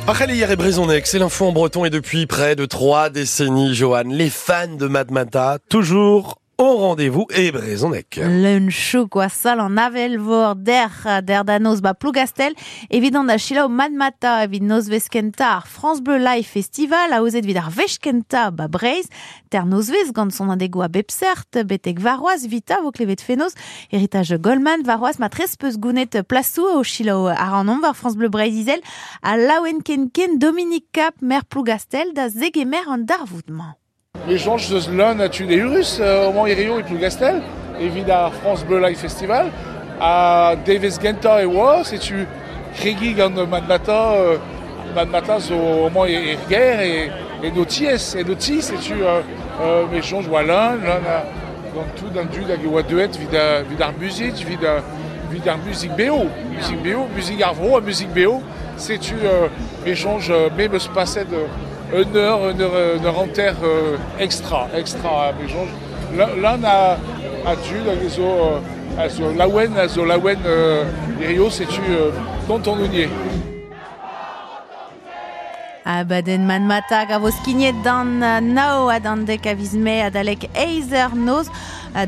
Ar hier e brezhoneg, c'est l'info en breton et depuis près de 3 décennies, Johan, les fans de Matmata, toujours au rendez-vous e brezhoneg. Leun chouk oa sal an Avel-Vor der da noz ba Plougastel, evit an da selaou Matmata evit nozvezh kentañ ar France Bleu Live Festival aozet evit ar wech kentañ ba Breizh, ter nozvezh gant sonadegoù a bep seurt, betek warc'hoazh 'vitañ vo klevet fenoz, Heritage Goldman warc'hoazh matrez peus gounet plasou o selaou ac'hanomp war France Bleu Breizh Izel ha laouen ken ken Dominique Cap, maer Plougastel da zegemer an darvoud-mañ. Me soñj eus leun a tud eürus amañ hirio e Plougastel evit ar France Bleu Live Festival ha devezh gentañ e oa, setu kregiñ gant Matmata, Matmata zo amañ er gêr e en ho tiez, en ho ti, setu me soñj oa leun, leun a, gant tout an dud hag e oa deuet evit ar muzik, evit ar muzik beo, muzik beo, muzik ar vro ha muzik beo, setu me soñj me 'm eus paset une heure, une heure, une heure hanter extra, extra, me soñj. Leun a dud hag a zo laouen, a zo laouen hirio, setu kontant on ivez. Abadenn Matmata a vo skignet d'an nav ha d'an 10 a viz Mae adalek eizh eur noz,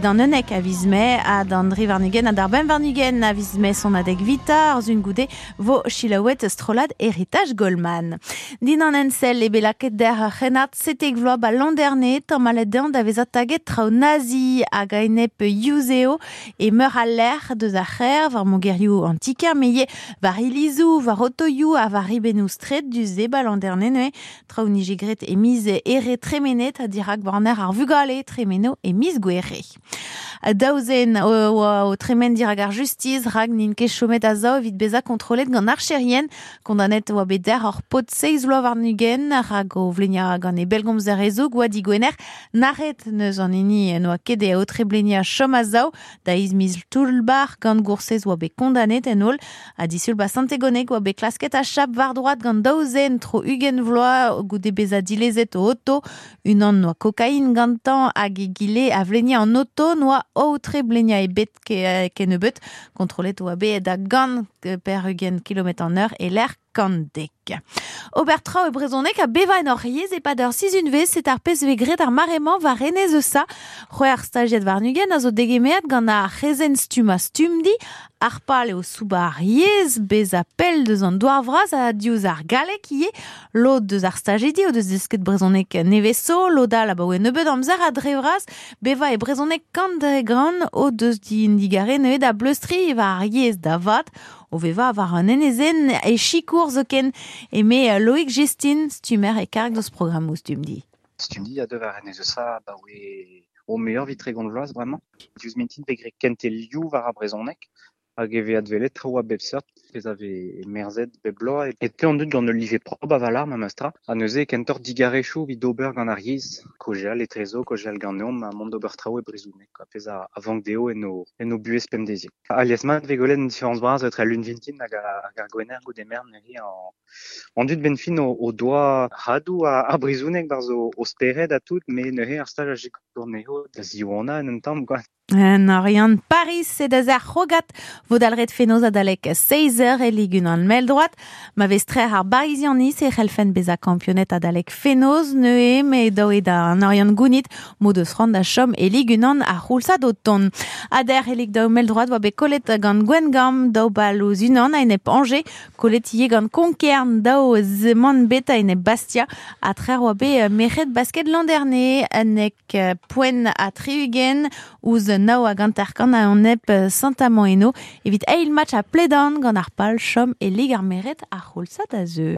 d'an 11 a viz Mae ha d'an 23 ha d'ar 25 a viz Mae sonadeg 'vitañ ar sizhun goude vo selaouet strollad Heritage Goldman. Dindan ensell eo bet lakaet dec'h ur c'hrennard 17 vloaz ba Landerne, tamallet dezhañ da vezañ taget traoù nazi hag a-enep yuzev e meur a lec'h deus ar c'hêr war mogerioù an ti-kêr met ivez war ilizoù, war otoioù ha war ribennoù straed du-se ba Landerne neuze traoù nije graet e miz here tremenet ha dirak barner ar vugale tremeno e miz gouere. Daou zen o tremen dirak ar justiz rak n'int ket chomet a-sav evit bezañ kontrollet gant archerien kondaonet oa bet dec'h ur paotr 27 rak o vleniañ gant e bellgomzer hezoug oa digwener nac'het neus an hini n'oa ket e aotre bleniañ chom a-sav da eizh miz toull-bac'h gant goursez oa bet kondaonet en holl ha disul ba Sant-Tegoneg oa bet klasket achap war droad gant daou zen tro 20 vloaz goude bezañ dilezet o oto unan noa kokain gantañ hag egile a vleniañ an oto noa aotre bleniañ ebet kennebeut kontrollet oa bet da 180 kilometr an eur e lec'h 110. Ober traoù e brezhoneg ha bevañ en hor yezh e-pad ur sizhunvezh setu ar pezh vez graet ar mare-mañ war enez Eusa. 26 stajiad a zo degemeret gant ar c'hrezenn stummañ Stumdi. Ar pal eo soubañ ar yezh, bezañ pell deus an douar vras ha diouzh ar galleg ivez. Lod deus ar stajidi o deus desket brezhoneg nevez zo, lod all abaoe nebeut amzer ha dre vras bevañ e brezhoneg kant dre gant o deus digarez neuze da bleustriñ war ar yezh da vat o vevañ war an enezenn e sikour zoken eme Loïc Gestin stummer e karg deus programmoù Stumdi. Stumdi a deu war enez Eusa abaoe o muioc'h evit 30 vloaz bremañ. Diouzh mintin vez graet kentelioù war ar brezhoneg hag e vez adwelet traoù a bep seurt pezh a vez merzet bep bloaz e teu an dud gant ul live propr a-walc'h memestra ha neuze kentoc'h digarezioù evit ober gant ar yezh kaozeal etrezo, kaozeal ganeomp ha mont d'ober traoù e brezhoneg quoi, pezh a vank dezho en o buhez pemdeziek. Alies mat vez gwelet un différence bras etre al lun vintin hag ar gwener goude merenn neuze an dud benn fin o doa hadoù ar brezhoneg barzh o spered ha tout met neuze ar staj a sikour anezho da ziwanañ en un tamm quoi. En Oriant Paris e da ar c'hrogad vo dalc'het fenoz adalek 16 e Ligue 1 mell-droad. Ma vez trec'h ar Barizianiz e c'hellfent bezañ kampioned adalek fenoz neuze met dav eo da an Oriant gounit m'o deus c'hoant da chom e Ligue 1 ar c'houlzad o tont. Ha dec'h e Ligue 2 mell-droad oa bet kollet gant Gwengamp daou bal ouzh unan a-enep Angers, kollet ivez gant Konkern daou zeman bet a-enep Bastia ha trec'h oa bet merc'hed basket Landerne 11 poent ha 60 ouzh 59 a-enep Saint-Amand eno evit eil match a Pledan gant ar pal chom e Lig ar Merc'hed ar c'houlzad a zeu.